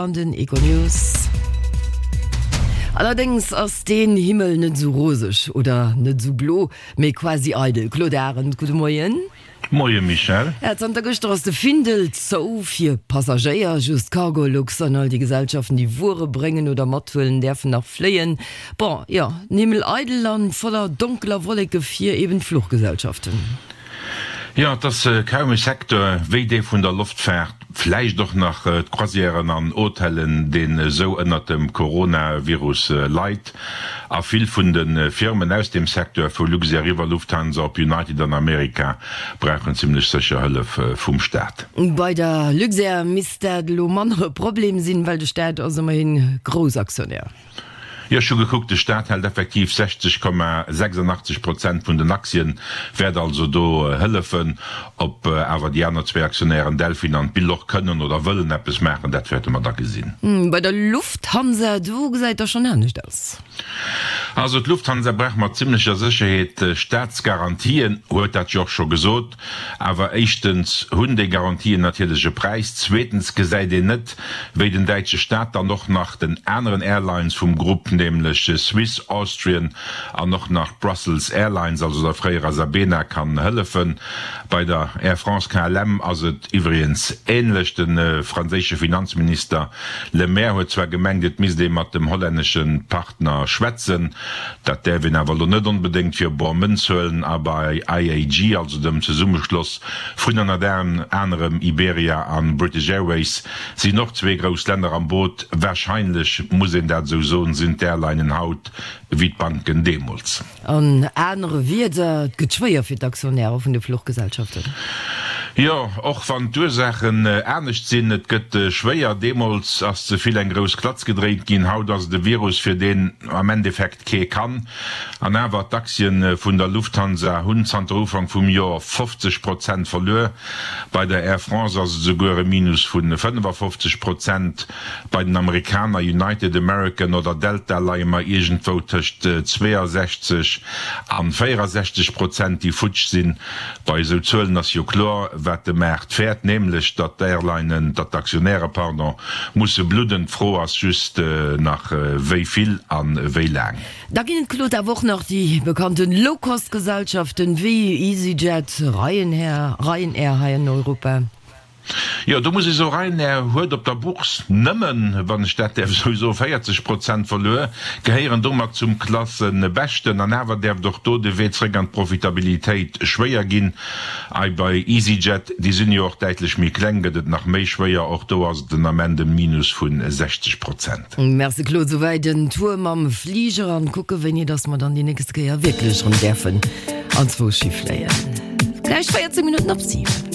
an den Econews. Allerdéngs ass deen Himmel net esou roseg oder net esou blo, mee quasi eidel. Claude Arend, gudde Moien. Moie Michèle. Ja, zanter gëschter ass de Findel zou fir Passagéier. Just Cargolux an all déi Gesellschaften, déi Wuere bréngen oder mathuelen, däerfen nach fléien. Bon, jo, den Himmel eidel an voller donkeler Wolleke fir eben d'Fluchgesellschaften. Jo, et ass kaum e Secteur wéi dee vun der Loftfaart, vläicht och nach d'Croisièren an Hotellen, deen esou ënnert dem Coronavirus leit. A vill vun de Firmen aus deem Secteur, vu Luxair iwwer Lufthansa op United an Amerika, brauchen zimmlech sécher Hëllef vum Staat. Bei der Luxair misst dat elo manner e Problem sinn, well de Staat ass ëmmerhin Groussaktionär. Jo, ech hu gekuckt, de Staat hält effektiv 60,86 Prozent vun den Aktien, wäert also do hëllefen. Ob awer déi aner zwéi Aktionären, Delfin an d'Bill, och kënnen oder wëllen eppes maachen, dat wäerte mer da gesinn. Bei der Lufthansa, do gesäit da schonn anescht aus. Also d'Lufthansa brauch mat zimmlecher Sécherheet Staatsgarantien, huet dat jo och scho gesot. Awer éischtens hunn déi Garantien natierlech e Präis, zweetens gesäit een net, wéi den däitsche Staat dann och nach den aneren Airlines vum Grupp, nämlech Swiss, Austrian an och nach Brussels Airlines, also der fréierer Sabena, kann hëllefen. Bei der Air France KLM ass et iwwregens änlech. De franséische Finanzminister Le Maire huet zwar gemengt, et misst ee mat dem hollännesche Partner schwätzen, dat däerf een awer elo net onbedéngt fir bor Mënz huelen. A bei IAG, also dem Zesummeschloss Vun ënnert anerem Iberia an British Airways sinn och zwee grouss Länner am Boot. Warscheinlech muss een dat esou soen, sinn d'Airlinen haut wéi d'Banken deemools. An anere Wierder, et gëtt schwéier fir d'Aktionäre vun de Fluchgesellschaften. Jo, och wann d'Ursaachen anescht sinn, et gëtt schwéier. Deemools ass ze vill eng grouss Klatz gedréint ginn, haut ass et e Virus, fir deen am Endeffekt kee kann. An awer, d'Aktien vun der Lufthansa hunn zanter Ufank vum Joer 50 Prozent verluer. Bei der Air France ass et esouguer e Minus vu 55 Prozent. Bei den Amerikaner United, American oder Delta leie mer iergendwou tëscht 62 an 64 Prozent, déi futsch sinn. Bei esou Zuelen ass jo kloer, wat de Maart fäert, nämlech datt d'Airlinen, datt d'Aktionäre, pardon, musse bludden. D'Fro ass just nach, wéi vill a wéi laang. Da ginn et, Claude, awer och nach déi bekannten Low-Cost-Gesellschaften wéi EasyJet, Ryanair, Ryanair hei an Europa. Jo, do muss ech soen, Ryanair huet op der Bourse nëmmen, wann ech dat däerf esou soen, 40 Prozent verluer, gehéieren domat zum Klassebeschten. An awer däerft och do de Wee zréck an d'Profitabilitéit schwéier ginn. Ei bei EasyJet, déi sinn jo och däitlech méi kleng, gëtt et nach méi schwéier. Och do ass et den Ament e Minus vu 60 Prozent. Merci Claude, souwäit en Tour mam Fliger an kucke wéini dass mer dann déi nächst Kéier wierklech erëm däerfen anzwousch hi fléien. Gläich 14 Minutten op 7.